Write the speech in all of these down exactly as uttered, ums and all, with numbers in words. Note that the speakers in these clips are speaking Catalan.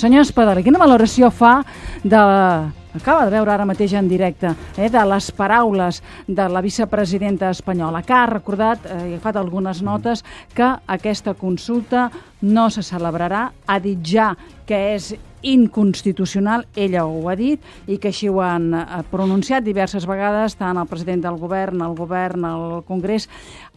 Senyor Espadaler, quina valoració fa de... Acaba de veure ara mateix en directe, eh, de les paraules de la vicepresidenta espanyola, que ha recordat, eh, ha fet algunes notes, que aquesta consulta no se celebrarà, ha dit ja que és inconstitucional, ella ho ha dit, i que així ho han pronunciat diverses vegades, tant el president del govern, el govern, el Congrés.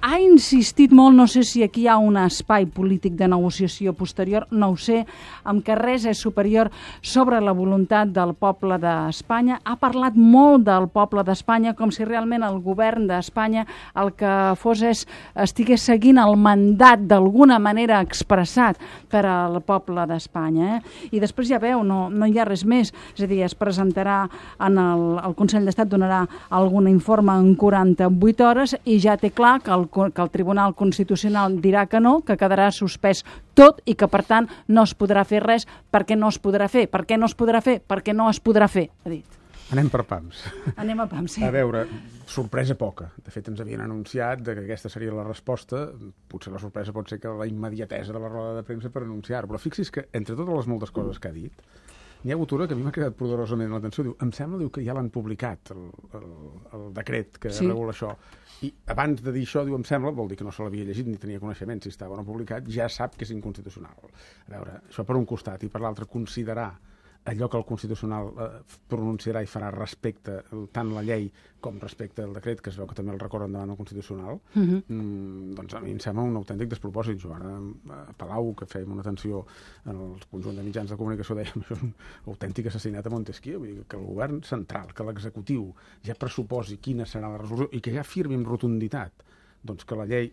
Ha insistit molt, no sé si aquí hi ha un espai polític de negociació posterior, no ho sé, amb que res és superior sobre la voluntat del poble d'Espanya. Ha parlat molt del poble d'Espanya, com si realment el govern d'Espanya el que fos és, estigués seguint el mandat d'alguna manera expressat per al poble d'Espanya. Eh? I després ja veu, no, no hi ha res més. És a dir, es presentarà en el, el Consell d'Estat, donarà algun informe en quaranta-vuit hores i ja té clar que el que el Tribunal Constitucional dirà que no, que quedarà suspès tot i que, per tant, no es podrà fer res perquè no es podrà fer. Per què no es podrà fer? Perquè no es podrà fer, ha dit. Anem per pams. Anem a pams, sí. A veure, sorpresa poca. De fet, ens havien anunciat que aquesta seria la resposta. Potser la sorpresa pot ser que la immediatesa de la roda de premsa per anunciar-ho. Però fixi's que, entre totes les moltes coses que ha dit, n'hi ha hagut una que a mi m'ha quedat poderosament l'atenció. Diu, em sembla diu, que ja l'han publicat, el, el, el decret que sí. regula això. I abans de dir això, diu, em sembla, vol dir que no se l'havia llegit ni tenia coneixement si estava o no publicat, ja sap que és inconstitucional. A veure, això per un costat, i per l'altre, considerar allò que el Constitucional eh, pronunciarà i farà respecte tant la llei com respecte al decret, que es veu que també el recorren davant del Constitucional, uh-huh. mm, doncs a mi em sembla un autèntic despropòsit. Jo ara a Palau, que fèiem una atenció en el conjunt de mitjans de comunicació, dèiem això és un autèntic assassinat a Montesquieu, vull dir que el govern central, que l'executiu ja pressuposi quina serà la resolució i que ja firmi amb rotunditat doncs que la llei...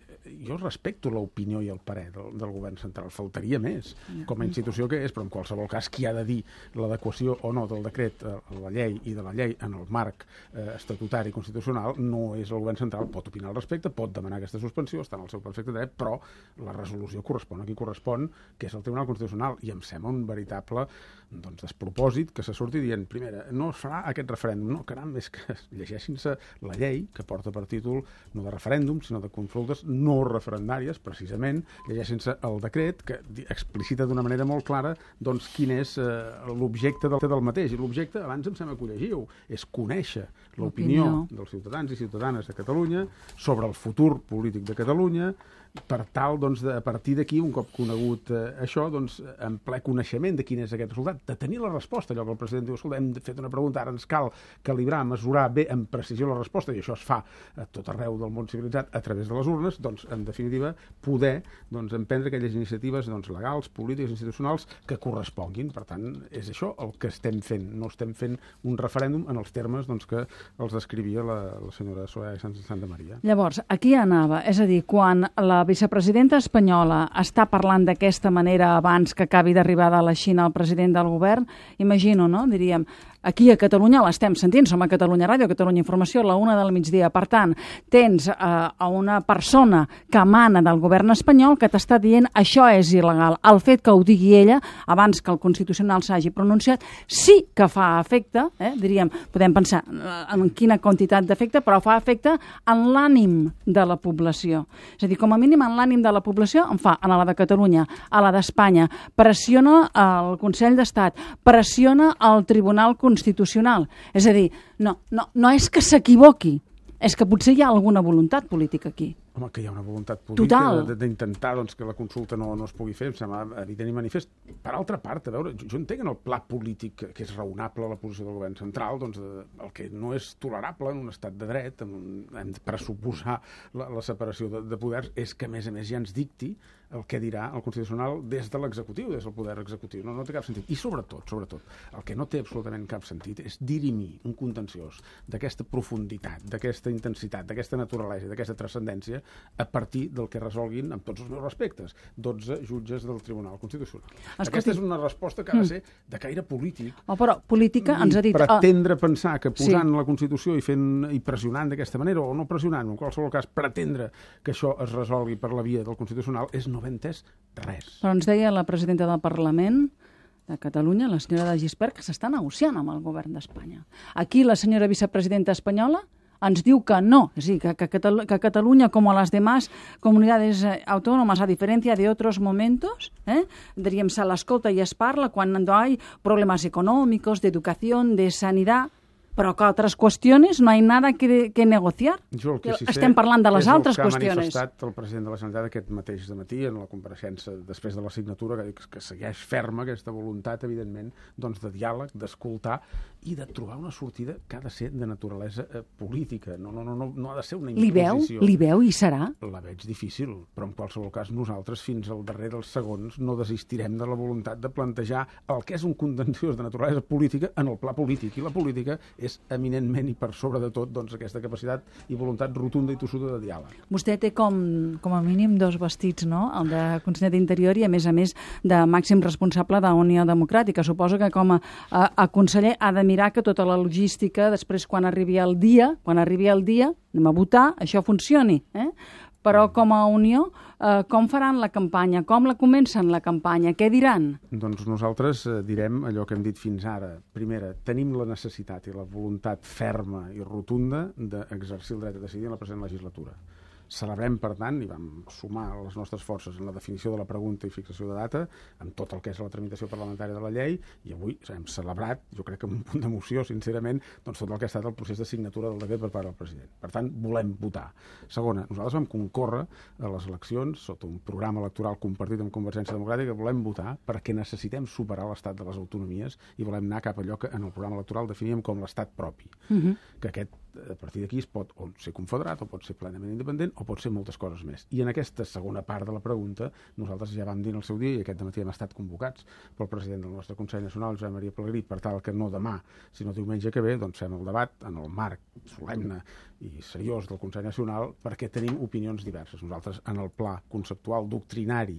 Jo respecto l'opinió i el parer del, del govern central, faltaria més, com a institució que és, però en qualsevol cas qui ha de dir l'adequació o no del decret a la llei i de la llei en el marc eh, estatutari constitucional no és el govern central, pot opinar al respecte, pot demanar aquesta suspensió, està en el seu perfecte dret, però la resolució correspon a qui correspon, que és el Tribunal Constitucional, i em sembla un veritable doncs, despropòsit que se surti dient, primera, no es farà aquest referèndum, no, caram, és que llegeixin-se la llei que porta per títol no de referèndum, sinó de consultes no referendàries, precisament, llegeixin-se el decret que explicita d'una manera molt clara doncs quin és eh, l'objecte del, del mateix. I l'objecte, abans em sembla que ho llegiu, és conèixer l'opinió dels ciutadans i ciutadanes de Catalunya sobre el futur polític de Catalunya, per tal, doncs, de, a partir d'aquí, un cop conegut eh, això, doncs, en ple coneixement de quin és aquest resultat, de tenir la resposta, allò que el president diu, escolta, hem fet una pregunta, ara ens cal calibrar, mesurar bé, amb precisió la resposta, i això es fa a tot arreu del món civilitzat a través de les urnes, doncs, en definitiva, poder doncs, emprendre aquelles iniciatives doncs, legals, polítiques, institucionals, que corresponguin. Per tant, és això el que estem fent. No estem fent un referèndum en els termes doncs, que els descrivia la, la senyora Soraya Sáenz de Santamaría. Llavors, aquí anava, és a dir, quan la vicepresidenta espanyola està parlant d'aquesta manera abans que acabi d'arribar de la Xina el president del govern, imagino, no? Diríem, aquí a Catalunya l'estem sentint, som a Catalunya Ràdio, a Catalunya Informació, a la una del migdia. Per tant, tens eh, a una persona que emana del govern espanyol que t'està dient això és il·legal. El fet que ho digui ella, abans que el Constitucional s'hagi pronunciat, sí que fa efecte, eh, diríem, podem pensar en quina quantitat d'efecte, però fa efecte en l'ànim de la població. És a dir, com a mínim en l'ànim de la població en fa, en la de Catalunya, a la d'Espanya, pressiona el Consell d'Estat, pressiona el Tribunal Constitucional. És a dir, no, no, no és que s'equivoqui, és que potser hi ha alguna voluntat política aquí. Home, que hi ha una voluntat política Total. d'intentar doncs, que la consulta no, no es pugui fer, em sembla evident i manifest. Per altra part, a veure, jo, jo entenc en el pla polític que és raonable la posició del govern central, doncs de, el que no és tolerable en un estat de dret, en un, hem de pressuposar la, la separació de, de poders, és que a més a més ja ens dicti el que dirà el Constitucional des de l'executiu, des del poder executiu. No, no té cap sentit. I sobretot, sobretot, el que no té absolutament cap sentit és dirimir un contenciós d'aquesta profunditat, d'aquesta intensitat, d'aquesta naturalesa, d'aquesta transcendència a partir del que resolguin, amb tots els meus respectes, dotze jutges del Tribunal Constitucional. Escolti, aquesta és una resposta que ha de ser de caire polític. Oh, però política ens ha dit... Pretendre oh. pensar que posant sí. la Constitució i fent i pressionant d'aquesta manera, o no pressionant, en qualsevol cas, pretendre que això es resolgui per la via del Constitucional és no haver entès res. Però ens deia la presidenta del Parlament de Catalunya, la senyora de Gispert, que s'està negociant amb el govern d'Espanya. Aquí la senyora vicepresidenta espanyola ens diu que no. És a dir, que, que, Catalu que Catalunya, com a les demás comunidades autónomas, a diferència d'altres momentos, eh, diríem, se l'escolta i es parla quan no hay problemas económicos, de educación, de sanidad, però que altres qüestions no hi ha nada que, que negociar. Jo el que sí Estem parlant de les altres qüestions. És el que ha manifestat el president de la Generalitat aquest mateix dematí en la compareixença després de la signatura, que, que segueix ferma aquesta voluntat, evidentment, doncs, de diàleg, d'escoltar i de trobar una sortida que ha de ser de naturalesa eh, política. No, no, no, no, no ha de ser una imposició. Li veu? Li veu i serà? La veig difícil, però en qualsevol cas nosaltres fins al darrer dels segons no desistirem de la voluntat de plantejar el que és un contenciós de naturalesa política en el pla polític. I la política és eminentment i per sobre de tot doncs, aquesta capacitat i voluntat rotunda i tossuda de diàleg. Vostè té com, com a mínim dos vestits, no? El de conseller d'Interior i, a més a més, de màxim responsable de Unió Democràtica. Suposo que com a, a, a conseller ha de mirar que tota la logística, després quan arribi el dia, quan arribi el dia, anem a votar, això funcioni, eh? Però com a Unió, eh, com faran la campanya? Com la comencen la campanya? Què diran? Doncs nosaltres eh, direm allò que hem dit fins ara. Primera, tenim la necessitat i la voluntat ferma i rotunda d'exercir el dret a decidir en la present legislatura. Celebrem, per tant, i vam sumar les nostres forces en la definició de la pregunta i fixació de data, amb tot el que és la tramitació parlamentària de la llei, i avui hem celebrat, jo crec que amb un punt d'emoció, sincerament, doncs tot el que ha estat el procés de signatura del decret per part del president. Per tant, volem votar. Segona, nosaltres vam concórrer a les eleccions sota un programa electoral compartit amb Convergència Democràtica, volem votar perquè necessitem superar l'estat de les autonomies i volem anar cap a allò que en el programa electoral definíem com l'estat propi. Uh-huh. Que aquest, a partir d'aquí, es pot o ser confederat o pot ser plenament independent o pot ser moltes coses més. I en aquesta segona part de la pregunta nosaltres ja vam dir en el seu dia, i aquest dematí hem estat convocats pel president del nostre Consell Nacional, Josep Maria Pelegrí, per tal que no demà, sinó diumenge que ve, doncs fem el debat en el marc solemne i seriós del Consell Nacional, perquè tenim opinions diverses. Nosaltres, en el pla conceptual doctrinari,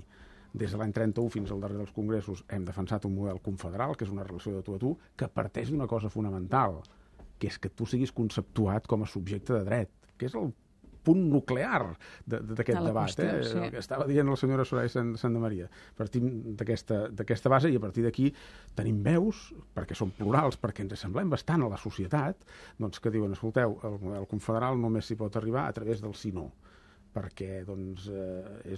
des de l'any trenta-u fins al darrer dels congressos, hem defensat un model confederal, que és una relació de tu a tu, que parteix d'una cosa fonamental, que és que tu siguis conceptuat com a subjecte de dret, que és el punt nuclear d'aquest de, debat. Qüestió, eh? Sí. El que estava dient la senyora Soraya Santamaria. Partim d'aquesta base i a partir d'aquí tenim veus, perquè són plurals, perquè ens assemblem bastant a la societat, doncs que diuen, escolteu, el model confederal només s'hi pot arribar a través del sí-no, perquè doncs, eh,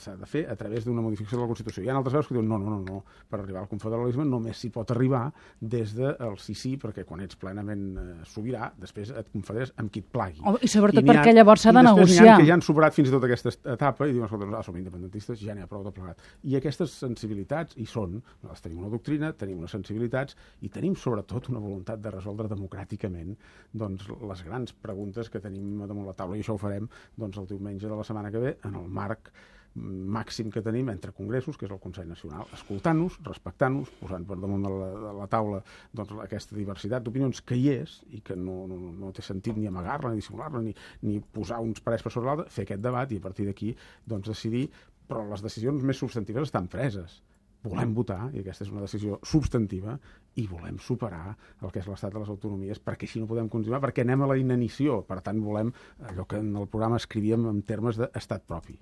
s'ha de fer a través d'una modificació de la Constitució. Hi ha altres veus que diuen no, no, no, no, per arribar al confederalisme només s'hi pot arribar des del sí-sí, perquè quan ets plenament eh, sobirà, després et confederes amb qui et plagui. Oh, I sobretot I perquè llavors s'ha de negociar. I després que ja han superat fins i tot aquesta etapa i diuen, escolta, ah, som independentistes, ja n'hi ha prou de plegat. I aquestes sensibilitats hi són. Nosaltres tenim una doctrina, tenim unes sensibilitats i tenim sobretot una voluntat de resoldre democràticament doncs, les grans preguntes que tenim damunt la taula, i això ho farem doncs, el diumenge de la setmana que ve, en el marc màxim que tenim entre congressos, que és el Consell Nacional, escoltant-nos, respectant-nos, posant per damunt de la, de la taula doncs, aquesta diversitat d'opinions que hi és i que no, no, no té sentit ni amagar-la, ni dissimular-la, ni, ni posar uns parers per sobre l'altre, fer aquest debat i a partir d'aquí doncs, decidir, però les decisions més substantives estan preses. Volem votar, i aquesta és una decisió substantiva, i volem superar el que és l'estat de les autonomies, perquè així no podem continuar, perquè anem a la inanició. Per tant, volem allò que en el programa escrivíem en termes d'estat propi.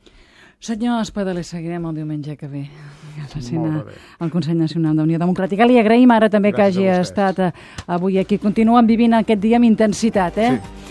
Senyor Espadaler, seguirem el diumenge que ve al Consell Nacional d'Unió Democràtica. Li agraïm ara també Gràcies que hagi estat avui aquí. Continuen vivint aquest dia amb intensitat, eh? Sí.